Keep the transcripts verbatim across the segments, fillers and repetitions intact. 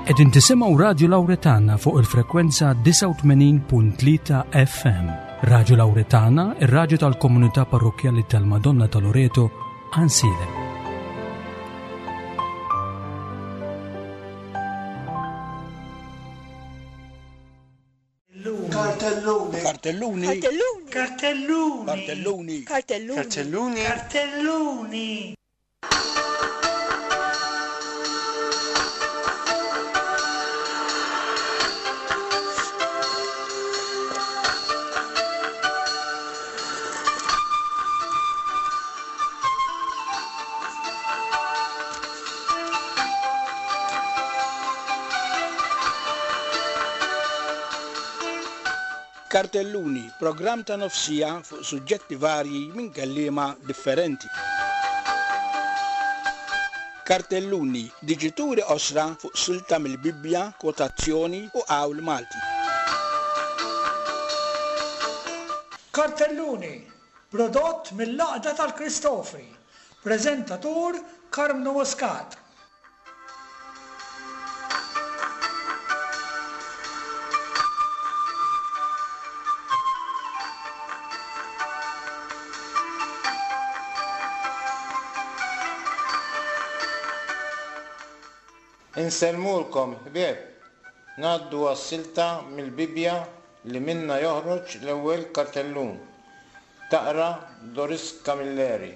Qegħdin tisimgħu Radju Lawretana fuq il-frekwenza disgħa u tmenin punt tlieta F M. Radju Lawretana, ir-radju tal-komunità parrokkjali tal-Madonna ta' Loreto, Għajnsielem. Cartelloni. Cartelloni. Cartelloni. Cartelloni. Cartelloni. Cartelloni. Cartelloni. Cartelloni. Cartelluni, programm ta' nofsija fuq suġġetti varji minn kelliema differenti. Cartelluni, diġituri osra fuq silta mill-Bibbja, kwotazzjoni u qawl Malti. Cartelluni, prodott mill-Għaqda tal-Kristofri, preżentatur Karmnu Muscat. Insellmulkom ħbieb, ngħaddu għas-silta mill-Bibbja li minna joħroġ l-ewwel kartellun. Taqra Doris Camilleri.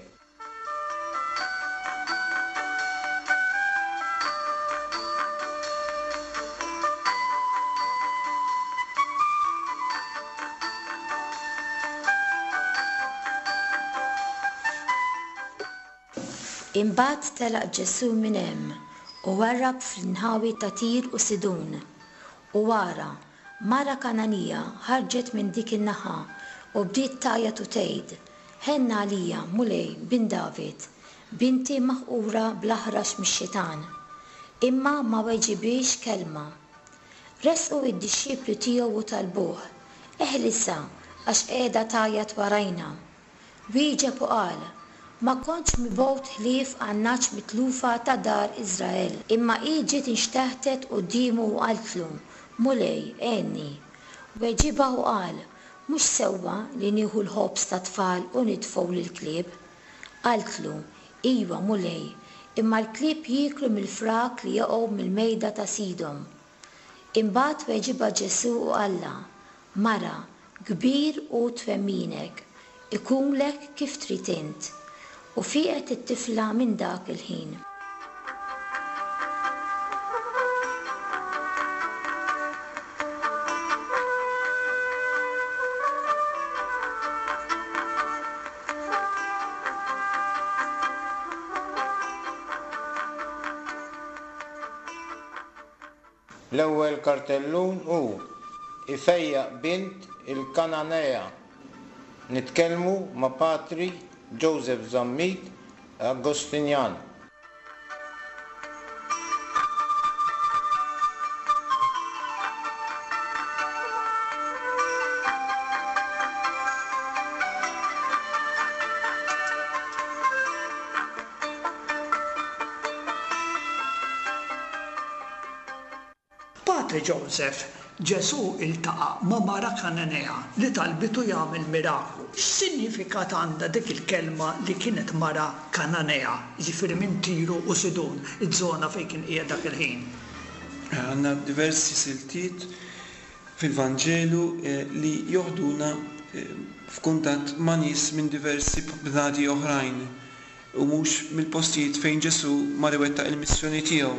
Imbagħad telaq Ġesù minn hemm u warrab fl-inħawi ta' Tir u Sidun. U wara, mara Kananija ħarġet minn dik in-naħa u bdiet tgħajjat u tgħid, Ħenna għalija, Mulej, bin David, binti maħqura bl-aħrax mix-xitan. Imma ma weġibiex kelma. Resqu id-dixxipli tiegħu u talbuh, Eħlisa, għax qiegħda tgħajjat warajna. Wieġeb u qal, Ma kontx mibgħut ħlief għan-nagħaġ mitlufa ta' dar Iżrael. Imma hi ġiet inxteħtet quddiemu u qaltlu, Mulej, għenni. Weġibha u qal, Mhux sewwa li nieħu l-ħobż ta' tfal u nitfgħu lill-klieb. Qaltlu, Iwa, Mulej, imma l-klieb jieklu mill-frak li jaqgħu mill-mejda ta' sidhom. Imbagħad weġibha Ġesù u qallha, Mara, kbir hu twemminek, ikunlek kif trid int. U fieqet it-tifla minn dak il-ħin. L-ewwel kartellun hu ifejjaq bint il-Kananea. Nitkellmu ma' Patri Joseph Zammit Agostinjan. Patri Joseph, Ġesù iltaqa' ma' mara Kananea li talbitu jagħmel miraklu. X'sinjifikat għandha dik il-kelma li kienet mara Kananea, jiġifieri minn Tiru u Sidun, iż-żona fejn kien qiegħed dak il-ħin? Għandna diversi siltiet fil-Vanġelu, eh, li joħduna, eh, f'kuntatt ma' nies minn diversi bnadi oħrajn u mhux mill-postijiet fejn Ġesù mar iwettaq il-missjoni tiegħu.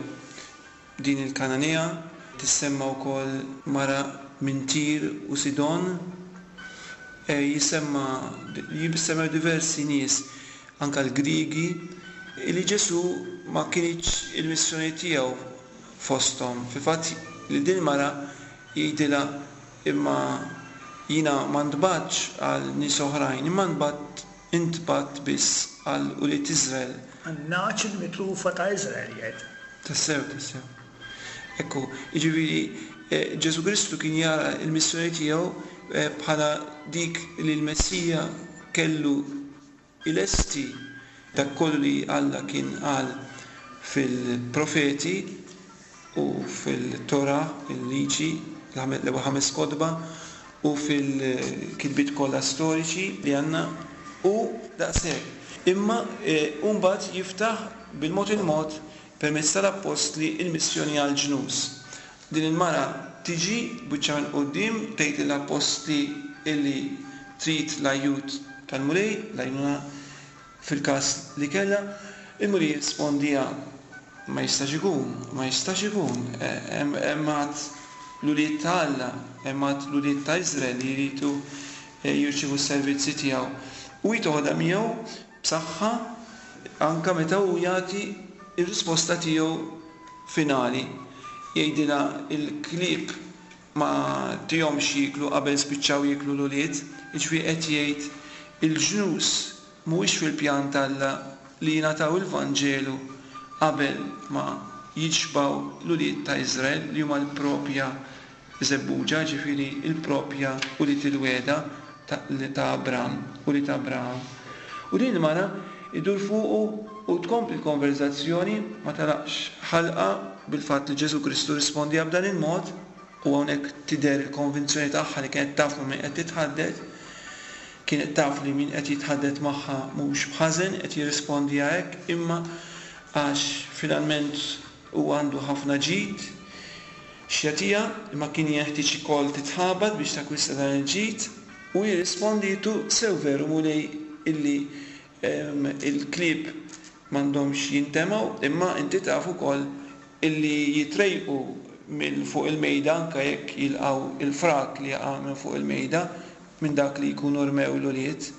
Din il-Kananea tissemma wkoll mara minn Tir u Sidon, e, jisemma, jissemmew diversi nies, anka l-Grigi, li Ġesù ma kienx il-missjoni tiegħu fosthom. Fil-fatt li din mara jgħidilha imma jiena ma ntbatx għal nies oħrajn, imma ntbat, intbat biss għal ulied Iżrael. Għan-nagħaġ il-mitlufa ta' Iżrael jgħid. Tassew, tassew. Ekku, jiġifieri, eh, Ġesù Kristu kien jara l-missjoni tiegħu, eh, bħala dik li l-Messija kellu ilesti dak kollu li Alla kien qal fil-profeti u fil-Torah, il-liġi, l-ewwel ħames kotba, u fil-kitbiet kollha storiċi li għandna u daqshekk. Imma mbagħad jiftaħ bil-mod il-mod permezz tal-appostli il-missjoni għall-ġnus. Din il-mara tiġi biċċa minn quddiem tgħid lill-appostli illi trid l-ajjut tal-Mulej, l-għajnuna fil-każ li kellha, il-Mulej jirrispondiha ma jistax ikun, ma jistax ikun, hemm għad l-ulied ta' Alla, hemm għad l-ulied ta' Iżrael li jridu jirċievu s-servizzi tiegħu. U hi toħodha miegħu b'saħħa anke meta hu jagħti r-risposta tiegħu finali. Jgħidilha il-klieb ma tihomx jieklu qabel spiċċaw jieklu l-ulied, jiġifieri qed jgħid il-ġnus mhuwiex fil-pjan t'Alla li jingħataw il-Vanġelu qabel ma jixbgħu l-ulied ta' Iżrael li huma l-propja żebbuġa, ġifieri l-propja ulied il-wegħda ta' Abram, ulied Abraham. U din il-mara idur fuqu u tkompli l-konverzazzjoni, ma talaqx ħalqa bil-fatt li Ġesù Kristu rispondiha b'dan il-mod, u hawnhekk tidher il-konvinzjoni tagħha li kienet taf ma' min qed titħaddet, kienet taf li min qed jitħaddet magħha mhux b'ħażen qed jirrispondiha hekk, imma għax finalment hu għandu ħafna ġid x'jagħtiha, imma kien jeħtieġ ukoll titħabat biex takwista dan il-ġid, u jirrisponditu sew veru Mulej illi il-klieb m'għandhomx jintemgħu, imma inti taf ukoll illi jitrejqu minn fuq il-mejda anke jekk jilqgħu il-frak li jaqa' minn fuq il-mejda minn dak li jkunu rmew l-ulied.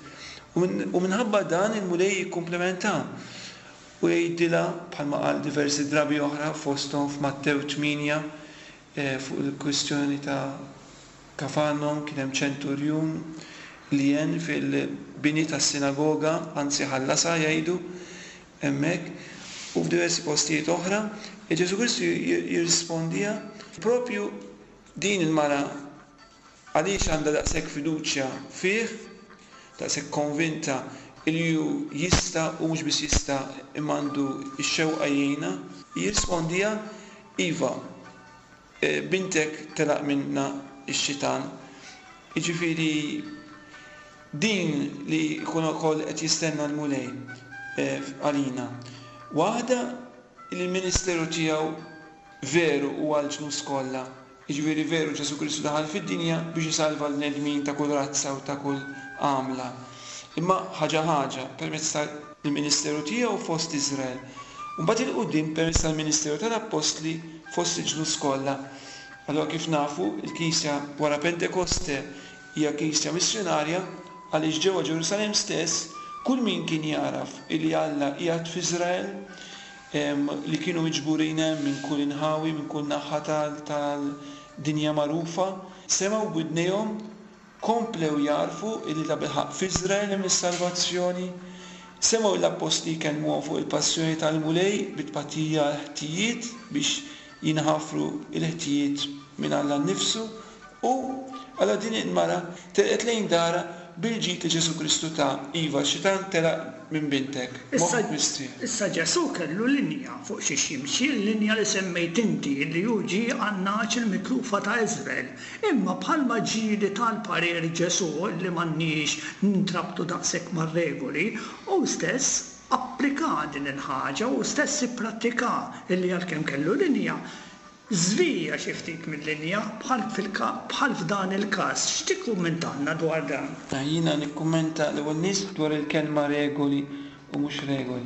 U minħabba dan il-Mulej jikkumplementa u jgħidilha bħalma qal diversi drabi oħra fosthom f'Mattew tmienja fuq il-kwistjoni ta' Kafarnhom kien hemm ċenturjun li jen fil-bini tas-sinagoga, anzi ħallasha jgħidu hemmhekk, u f'diversi postijiet oħra, Ġesù Kristu jirrispondiha propju din il-mara għaliex għandha daqshekk fiduċja fih, daqshekk konvinta li hu jista' u mhux biss jista' imma għandu x-xewqa jgħinha, jirrispondiha iva, bintek telaq minna x-xitan. Jiġifieri din li jkun ukoll qed jistenna l-Mulej għalina. Waħda li l-ministeru tiegħu veru huwa għall-ġnus kollha. Jiġifieri veru Ġesù Kristu daħal fid-dinja biex isalva l-bnedmin ta' kull razza u ta' kull għamla. Imma ħaġa ħaġa permezz tal-ministeru tiegħu fost Iżrael. U mbagħad il-quddiem permezz tal-ministeru tal-Appostli fost il-ġnus kollha. Allura kif nafu, il-Knisja wara Pentekoste hija Knisja missjonarja għaliex ġewwa Ġerusalemm stess kull min kien jaraf illi Alla qiegħed f'Iżrael, li kienu miġburin hemm minn kull inħawi, minn kull naħa tal-dinja magħrufa, semgħu b'widnejhom, komplew jarfu illi ta' bilħaqq f'Iżrael hemm is-salvazzjoni, semgħu l-appostli jkellmuhom fuq il-passjoni tal-Mulej bit-tpatija għall-ħtijiet biex jinħafru l-ħtijiet minn Alla nnifsu, u allura din il-mara telqet lejn darha bil-ġid li Ġesù Kristu ta. Iva, x-xitan telaq minn bintek. Moħħok mistrieħ. Issa Ġesù kellu linja fuq xiex jimxi, l-linja li semmejt inti li hu ġie għan-nagħaġ il-mitlufa ta' Iżrael. Imma bħalma ġieli tal-parir Ġesù li m'għandniex nintrabtu daqshekk mar-regoli, hu stess applika din il-ħaġa, hu stess ipprattika illi għalkemm kellu linja, żvija xi ftit mill-linja bħal bħal f'dan il-każ. X'tikkummentanna dwar dan? Jiena nikkummenta l-ewwel nies dwar il-kelma regoli u mhux regoli.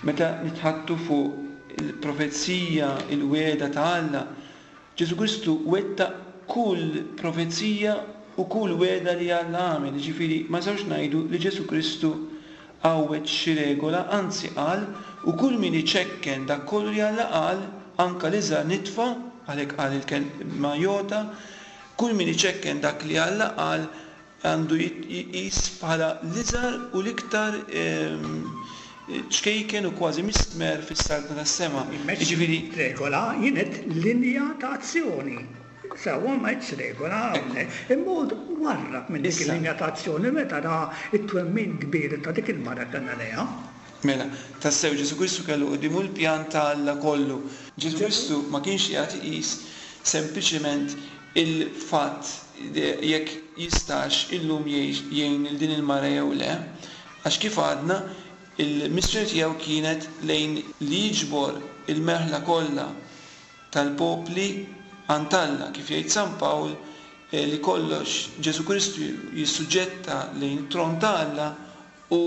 Meta nitħattu fuq il-profezija, il-wegħda ta' Alla, Ġesù Kristu wettaq kull profezija u kull wegħda li Alla għamel. Jiġifieri ma nistgħux ngħidu li Ġesù Kristu għawweġ xi regola, anzi qal u kull min iċekken dak kollu li Alla qal, anka l-iżgħar nitfa, għalhekk qal il-kelma jota, kull min iċekken dak li Alla qal għandu jqis bħala l-iżgħar u l-iktar ċkejken u kważi mistmer fis-saltna tas-sema. Jiġifieri regola jien linja ta' azzjoni. Sewwa ma għedx regola hawnhekk. Imma warrab minn dik il-linja ta' azzjoni meta ra t-twemmin kbir ta' dik il-mara Kananea. Mela, tassew Ġesù Kristu kellu quddiemu l-pjan ta' Alla kollu. Ġesù Kristu ma kienx qiegħed iqis sempliċement il-fatt jekk jistax illum jgħin lil din il-mara jew le, għax kif għadna il-missjoni tiegħu kienet lejn li jiġbor il-merħla kollha tal-popli għand Alla, kif jgħid San Pawl li kollox Ġesù Kristu jissuġġetta lejn it-tron ta' Alla u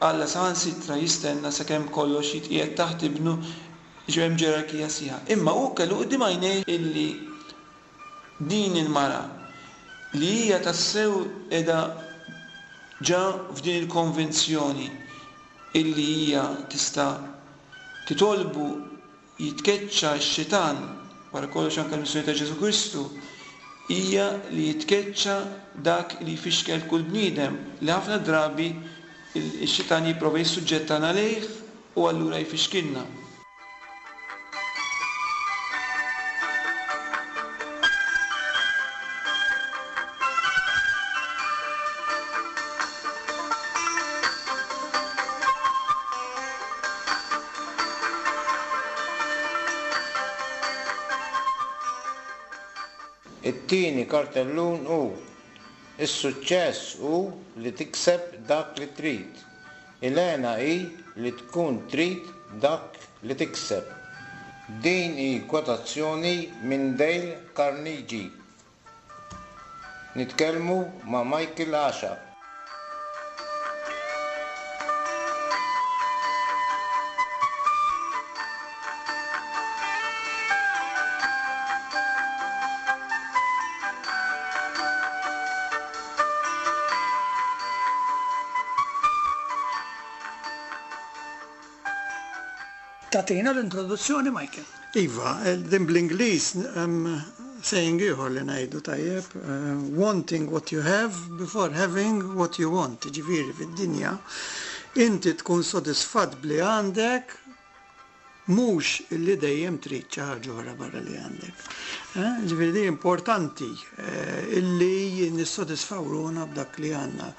Alla saħansitra jistenna sakemm kollox jitqiegħed taħt ibnu, ġew hemm ġerarkija sħiħa. Imma hu kellu quddiem għajnejh illi din il-mara li hija tassew qiegħda ġa f'din il-konvenzjoni illi hija tista' titolbu jitkeċċa x-xitan, wara kollox anke l-missjoni ta' Ġesù Kristu hija li jitkeċċa dak li jfixkel kull bniedem li ħafna drabi ix-xitan jipprova jissuġġettana lejh u allura jfixkilna. It-tieni kartellun hu is-suċċess hu li tikseb dak li trid. Il-hena hi li tkun trid dak li tikseb. Din hi kwotazzjoni minn Dale Carnegie. Nitkellmu ma' Michael Asha. Tatina l-introduzzjoni, Michael. Iva, din bl-Ingliż saying ieħor li ngħidu tajjeb, wanting what you have before having what you want. Ġifieri fid-dinja, inti tkun sodisfatt bli għandek, mhux illi dejjem trid xi ħaġa oħra barra li għandek. Ġifieri di importanti illi nissodisfaw ruħna b'dak li għandna.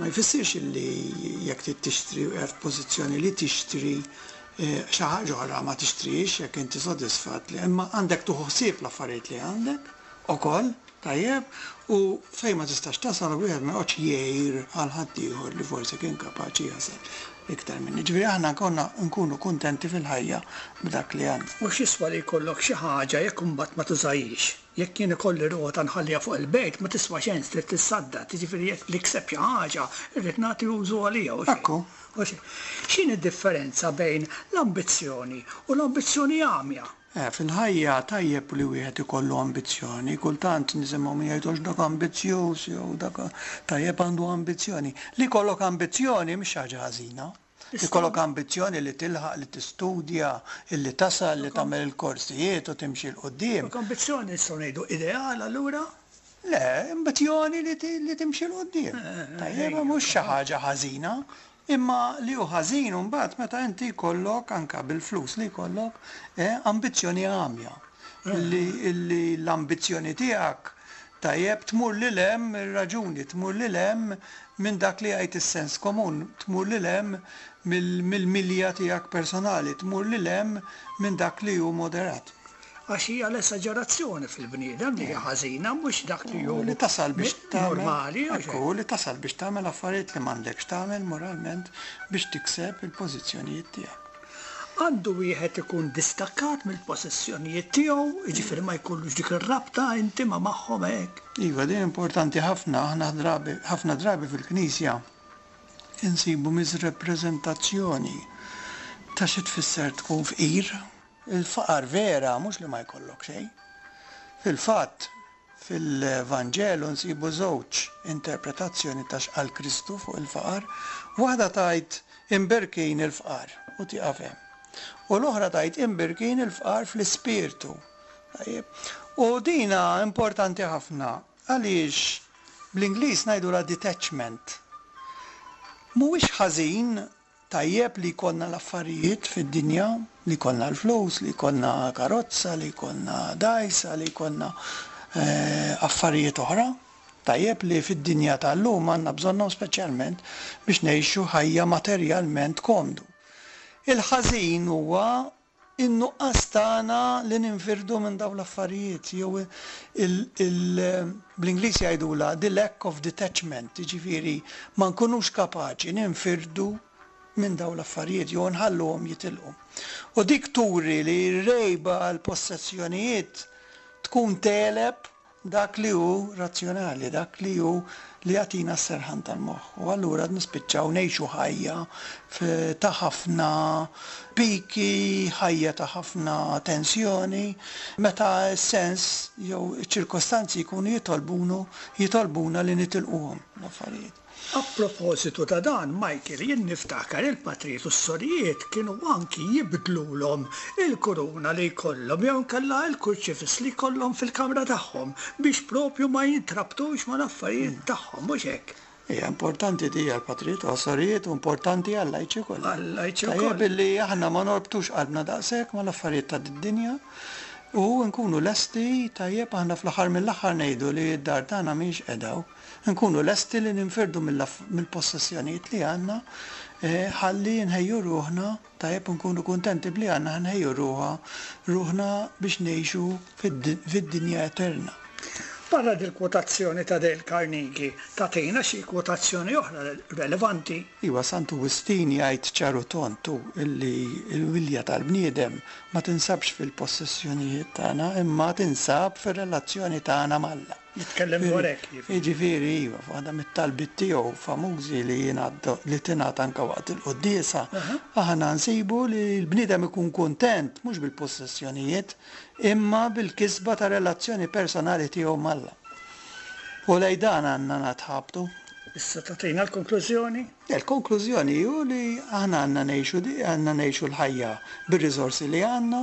Ma jfissirx illi jekk trid tixtri u qiegħed f'pożizzjoni li tixtri xi ħaġa oħra ma tixtrix jekk inti sodisfatt li imma għandek tieħu ħsieb l-affarijiet li għandek ukoll, tajjeb, u fejn ma tistax tasal wieħed ma joqgħodx jgħir għal ħaddieħor li forsi kien kapaċi jasal iktar minni. Ġifieri aħna konna nkunu kuntenti fil-ħajja b'dak li għandna. U x'jiswa li jkollok xi ħaġa jekk imbagħad ma tużajhiex? Jekk jien ikolli rota nħalliha fuq il-bejt ma tiswa xejn trid tissaddad, jiġifieri jekk nikseb xi ħaġa irrid nagħti użu għaliha u xejn. Ekku. X'inhi d-differenza bejn l-ambizzjoni u l-ambizzjoni għamja? Eh, fil-ħajja tajjeb li wieħed ikollu ambizzjoni, kultant nisimgħu min jgħidux dak ambizzjuż jew dak tajjeb għandu ambizzjoni. Li jkollok ambizzjoni mhix ħaġa ħażina. Li jkollok ambizzjoni li tilħaq, li tistudja, li tasal, li tagħmel il-korsijiet u timxi 'l quddiem. Jkollok ambizzjoni nistgħu ngħidu ideal allura? Le, ambizzjoni li timxi 'l quddiem. Tajjeb, mhux xi ħaġa ħażina. Imma li hu ħażin mbagħad meta inti jkollok anke bil-flus li jkollok ambizzjoni għamja. Li l-ambizzjoni tiegħek tajjeb tmur lil hemm ir-raġuni, tmur lil hemm minn dak li jgħid is-sens komun, tmur lil hemm mill-milja tiegħek personali, tmur lil hemm minn dak li hu moderat. Għax hija l-esaġerazzjoni fil-bniedem li hija ħażina mhux dak li hu li tasal biex tagħmel normali. Ekku, li tasal biex tagħmel affarijiet li m'għandekx tagħmel moralment biex tikseb il-pożizzjonijiet tiegħek. Għandu wieħed ikun distakkat mill-possessjonijiet tiegħu, jiġifieri ma jkollux dik ir-rabta intima magħhom hekk. Iva, din importanti ħafna, aħna drabi, ħafna drabi fil-Knisja insibu miżrepreżentazzjoni ta' xi tfisser tkun fqir. Il-faqar vera mhux li ma jkollok xejn. Fil-fatt, fil-Vanġelu nsibu żewġ interpretazzjoni ta' x'qal Kristu fuq il-faqar. Waħda tgħid imberkin il-fqar u tieqaf hemm. U l-oħra tgħid imberkin il-fqar fl-ispirtu. Tajjeb. U dina importanti ħafna għaliex bl-Ingliż ngħidulha detachment. Mhuwiex ħażin tajjeb li jkollna l-affarijiet fid-dinja, li jkollna l-flus, li jkollna karozza, li jkollna dgħajsa, li jkollna affarijiet oħra. Tajjeb li fid-dinja tal-lum għandna bżonnhom speċjalment biex ngħixu ħajja materjalment komdu. Il-ħażin huwa in-nuqqas tagħna li ninfirdu minn dawn l-affarijiet jew bl-Ingliż jgħidulha the lack of detachment, jiġifieri ma nkunux kapaċi ninfirdu minn dawn l-affarijiet jew nħalluhom jitilqu. U dik turi li r-rejba għal possessjonijiet tkun tegħleb dak li hu razzjonali, dak li hu li jagħtina s-serħan tal-moħħ. U allura nispiċċaw ngħixu ħajja ta' ħafna piki, ħajja ta' ħafna tensjoni, meta s-sens jew iċ-ċirkostanzi jkunu jitolbunu jitolbuna li nitilquhom l-affarijiet. A propositu ta' dan, Michael, jien niftakar il-patrijiet u s-sorijiet kienu anki jibdlulhom il-kuruna li jkollhom jew inkella l-kurċifiss li jkollhom fil-kamra tagħhom biex propju ma jintrabtux mal-affarijiet tagħhom, mhux hekk? Hija importanti di għall-patrijiet u għas-sorijiet u importanti għal-lajċi kollha. Għal-lajċi Tajjeb wkoll. illi aħna ma norbtux qalbna daqshekk mal-affarijiet ta' dinja u nkunu lesti tajjeb aħna fl-aħħar mill-aħħar ngħidu li d-dar tagħna mhix qiegħda. Nkunu lesti li ninfirdu mill-possessjonijiet li għandna ħalli nħejju ruħna tajjeb nkunu kuntenti bli għandna nħejju ruħa ruħna biex ngħixu fid-dinja eterna. Barra dil-kwotazzjoni ta' Dale Carnegie, tagħtina xi kwotazzjoni oħra relevanti? Iwa, Santu Wistin jgħid ċaru tontu illi l-wilja tal-bniedem ma tinsabx fil-possessjonijiet tagħna imma tinsab fir-relazzjoni tagħna m'Alla. Jitkellem dwar hekk, jiġifieri. Jiġifieri, iva, f'waħda mit-talbiet tiegħu famużi li jingħaddu li tingħata anke waqt il-quddiesa, aħna nsibu li l-bniedem ikun kuntent mhux bil-possessjonijiet imma bil-kisba ta' relazzjoni personali tiegħu m'Alla. U lejn dan għandna natħabtu. Issa tagħtina l-konklużjoni? Il-konklużjoni hu li aħna għandna ngħixu di, għandna ngħixu l-ħajja bir-riżorsi li għandna,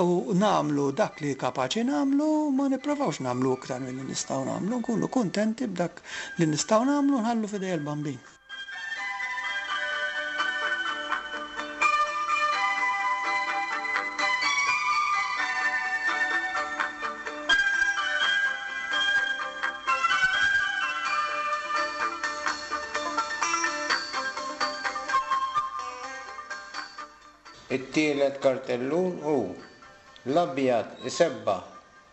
u nagħmlu dak li kapaċi nagħmlu, ma nipprovawx nagħmlu iktar milli nistgħu nagħmlu, nkunu kuntenti b'dak li nistgħu nagħmlu nħallu f'idej il-Bambin. It-tielet kartellun hu l-abjad isebbaħ,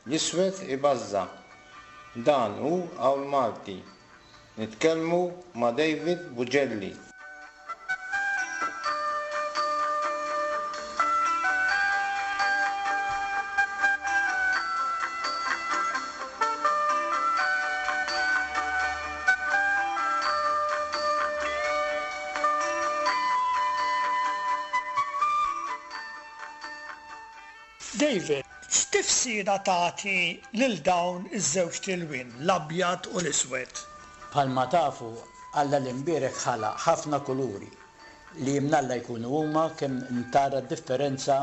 l-iswed ibażża'. Dan hu Qawl Malti. Nitkellmu ma' David Bugelli. David, x'tifsira tagħti lil dawn iż-żewġ tilwin, l-abjad u l-iswed? Bħalma tafu, Alla l-imbierek ħalaq ħafna kuluri li mnalla jkunu huma kemm tara differenza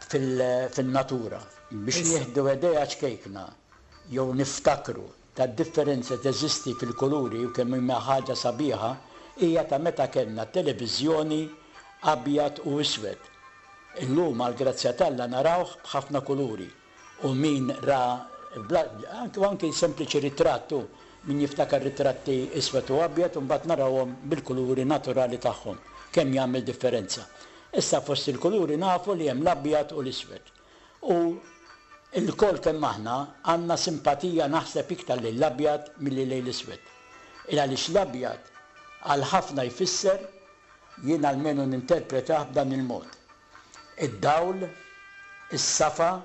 fil-natura. Biex nieħdu idea ċkejkna jew niftakru ta' differenza teżisti fil-kuluri u kemm hija ħaġa sabiħa hija ta' meta kellna televiżjoni abjad u iswed. Illum għall-grazzja t'Alla narawh b'ħafna kuluri u min ra anke anke sempliċi ritrattu min jiftakar ritratti iswed u abjad u mbagħad narawhom bil-kuluri naturali tagħhom kemm jagħmel differenza. Issa fost il-kuluri nafu li hemm l-abjad u l-iswed. U l-kol kemm aħna għandna simpatija naħseb iktar lejn l-abjad milli lejn l-iswed. Il għaliex l-abjad għal ħafna jfisser jien almenu ninterpretah b'dan il-mod. Id-dawl, is-safa,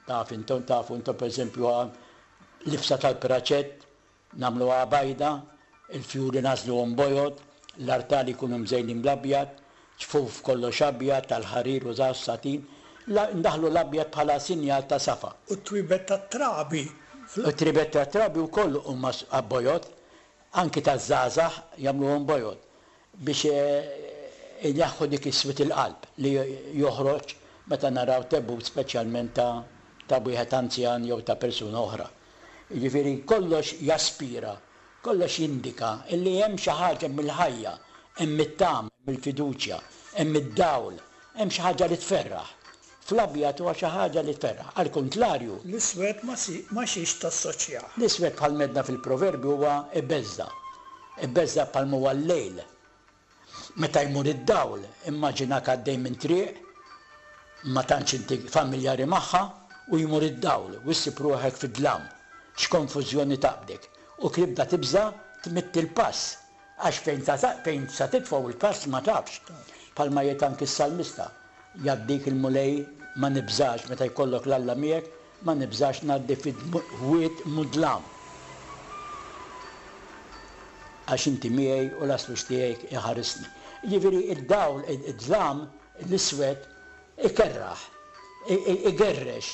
taf intom, tafu intom per eżempju l-ifsa tal-praċett, nagħmluha bajda, il-fjuri nażluhom bojod, l-artali jkunu mżejnin bl-abjad, ċfuf kollox abjad, tal-ħarir u żgħar satin, ndaħlu l-abjad bħala sinjal ta' safa. U t-twibet tat-trabi. U t-twibet tat-trabi wkoll huma bojod, anki taż-żgħażagħ jagħmluhom bojod biex ineħħu dik is-swit il-qalb li joħroġ meta naraw tebut speċjalment ta' ta' wieħed anzjan jew ta' persuna oħra. Jiġifieri kollox jaspira, kollox jindika illi hemm xi ħaġa mill-ħajja, hemm it-tama, hemm il-fiduċja, hemm id-dawl, hemm xi ħaġa li tferraħ Fl-abjad huwa xi ħaġa li tferraħ. Għal kontlarju. L-iswed ma xiex tassoċjah. L-iswed bħal medna fil-proverbju huwa ibeżża'. Ibeżża' bħal huwa l-lejl. Meta jmur id-dawl, immaġinak għaddej minn triq, ma tantx inti familjari magħha, u jmur id-dawl, u ssib ruħek fid-dlam. X'konfużjoni taqbdek. U tibda tibża' tmidd il-pass. Għax fejn fejn sa titfgħu il-pass ma tafx. Bħalma jgħid anki s-salmista. Jgħaddik il-Mulej ma nibżax meta jkollok l-Alla miegħek, ma nibżax ngħaddi fid-wied mudlam. Għax inti miegħi u l-aslux tiegħek iħarisni. Jiġifieri id-dawl, id-dlam, l-iswed ikerraħ, igerrex.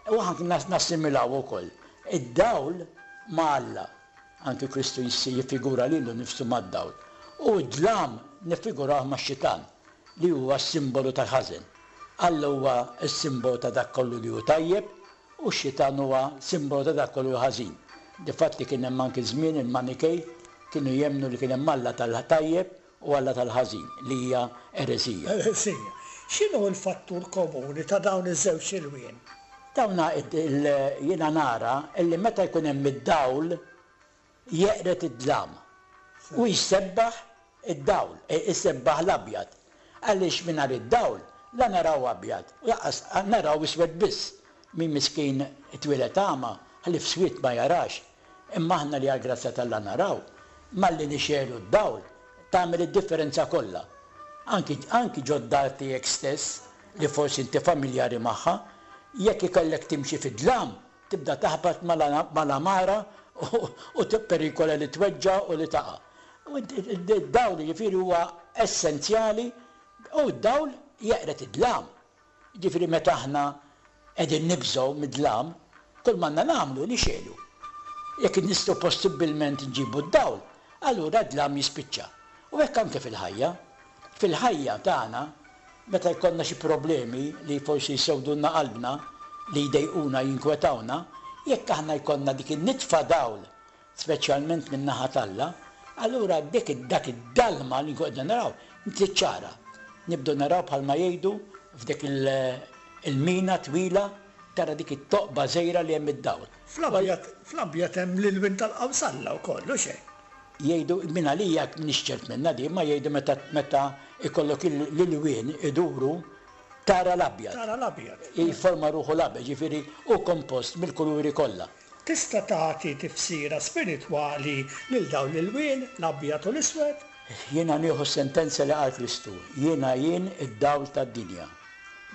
U anki nassimilaw ukoll. Id-dawl ma' Alla, anki Kristu jiffigura lilu nnifsu mad-dawl. U d-dlam niffiguraw max-xitan li huwa s-simbolu tal-ħażen. Alla huwa s-simbolu ta' dak kollu li hu tajjeb u x-xitan huwa simbolu ta' dak kollu ħażin. Difatti kien hemm anki żmien il-Manikej kienu jemmnu li kien hemm Alla tal-tajjeb u Alla tal-ħażin, li hija eresija. Eresija. X'inhu l-fattur komuni ta' dawn iż-żewġ ilwien? Dawna jiena nara illi meta jkun hemm id-dawl jeqret id-dlam u jsebbaħ id-dawl, isebbaħ l-abjad. Għaliex mingħajr id-dawl la naraw abjad, u lanqas naraw iswed biss. Min miskin twieled agħma, ħlief swied ma jarax. Imma aħna li għall-grazzja t'Alla naraw, malli nixegħlu d-dawl tagħmel id-differenza kollha. Anki, anki ġod-dar tiegħek stess, li forsi inti familjari magħha, jekk ikollek timxi fid-dlam, tibda taħbat mal-amara u tipperikola li tweġġa' u li taqa'. Id-dawl jiġifieri huwa essenzjali u d-dawl jeqret id-dlam. Jiġifieri meta aħna qegħdin nibżgħu mid-dlam, kull m'għandna nagħmlu nixegħlu. Jekk nistgħu possibbilment nġibu d-dawl, allura d-dlam jispiċċa. U hekk anke fil-ħajja. Fil-ħajja tagħna, meta jkollna xi problemi li forsi jsewdulna qalbna, li jdejquna, jinkwetawna, jekk aħna jkollna dik in-nitfa dawl, speċjalment min-naħa t'Alla, allura dik dak id-dalma li nkun qegħdin naraw, tiċċara. Nibdu naraw bħalma jgħidu f'dik il-mina twila tara dik it-toqba żgħira li hemm id-dawl. Fl-abjad hemm l-ilwien tal-qawsalla wkoll, u xejn. Jgħidu minn għalija m'iniex ċert minnha di, ma jgħidu meta meta ikollok l-ilwien iduru tara l-abjad. Tara l-abjad. Jifforma ruħu l-abjad, jiġifieri hu kompost mill-kuluri kollha. Tista' tagħti tifsira spiritwali lil dawn l-ilwien, l-abjad u l-iswed? Jiena nieħu s-sentenza li qal Kristu, jiena jien id-dawl tad-dinja.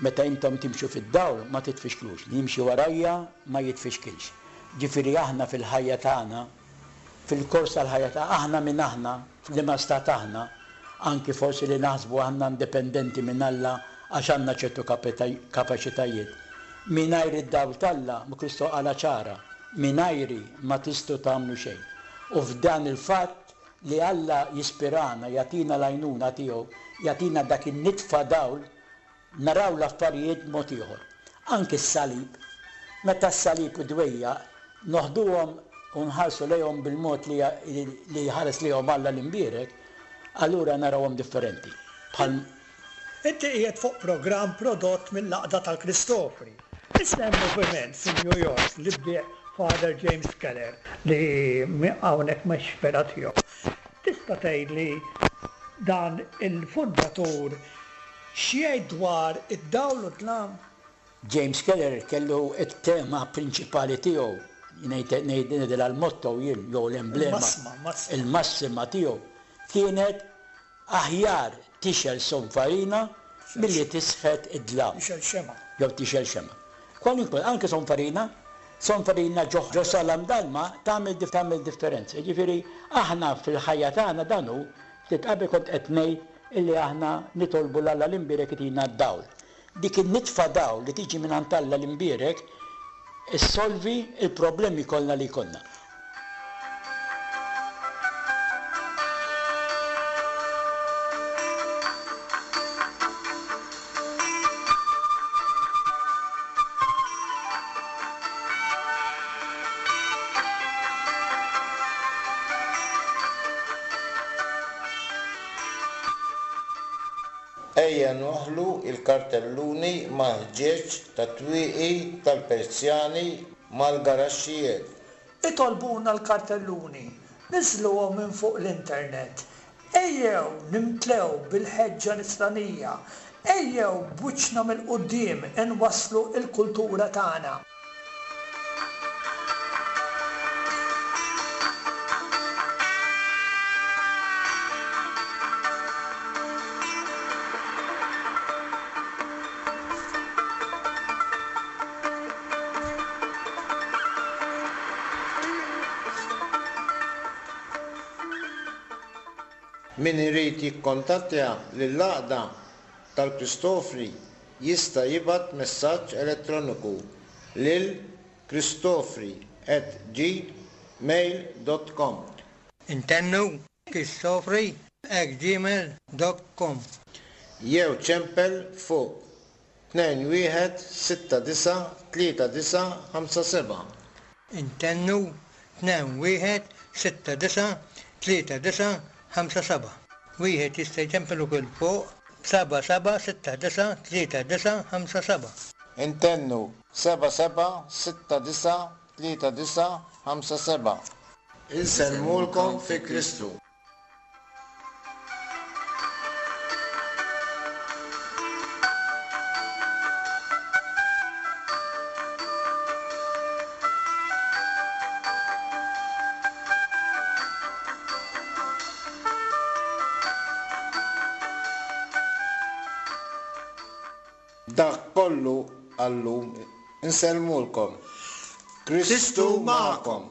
Meta intom timxu fid-dawl ma titfixklux, li jimxi warajja ma jitfixkilx. Ġifieri aħna fil-ħajja tagħna, fil-kors tal-ħajja tagħna, aħna min aħna, f'liema stat aħna, anki forsi li naħsbu aħna indipendenti minn Alla għax għandna ċertu kapaċitajiet. Mingħajr id-dawl t'Alla, Kristu qala ċara, mingħajri ma tistgħu tagħmlu xejn. U f'dan il-fatt li Alla jispirana, jagħtina l-għajnuna tiegħu, jagħtina dak in-nitfa dawl, naraw l-affarijiet mod ieħor. Anki s-salib, meta s-salib u dwejja, noħduhom u nħarsu lejhom bil-mod li, li jħares lejhom Alla l-imbierek, allura narawhom differenti. Bħal Inti qiegħed fuq programm prodott mill-Għaqda tal-Kristofri. Issa hemm moviment fi New York li bdieħ Father James Keller li hawnhekk mhux vera tiegħu. Tista' tgħidli dan il-fundatur x'jgħid dwar id-dawl u d-dlam? James Keller kellu t-tema prinċipali tiegħu, ngħidilha l-motto jien jew l-emblema. Il-massima tiegħu kienet aħjar tixel sonfarina milli tisħet id-dlam. Tixel xema. Jew tixel xema. Kwalunkwe, anke sonfarina, sonfarina ġo salam dalma tagħmel tagħmel differenza. Jiġifieri aħna fil-ħajja tagħna dan hu, ftit qabel kont qed ngħid illi aħna nitolbu 'l Alla l-imbierek itina d-dawl. Dik in-nitfa dawl li tiġi minn għand Alla l-imbierek issolvi il-problemi kollha li jkollna. Ejja Ejja nwaħħlu l-kartelluni mal-ħġieġ tat-twieqi tal-persjani mal-garaxxijiet. Itolbuna l-kartelluni, niżżluhom minn fuq l-internet. Ejjew nimtlew bil-ħeġġa nisranija. Ejjew b'wiċċna mill-quddiem inwasslu l-kultura tagħna. Min irid jikkontattja lill-Għaqda tal-Kristofri jista' jibgħat messaġġ elettroniku lil kristofri at gmail dot com. Intennu kristofri at gmail dot com. Jew ċempel fuq tnejn wieħed sitta disa' tlieta disa' ħamsa seba'. Intennu tnejn wieħed sitta disa' tlieta disa' ħamsa seba'. Wieħed jista' jċempel ukoll fuq seba' seba' sitta disa' tlieta disa' ħamsa seba'. Intennu seba' seba' sitta disa' tlieta disa' ħamsa seba'. Insellmulkom fi Kristu. Dak kollu għallum insellmulkom. Kristu magħkom.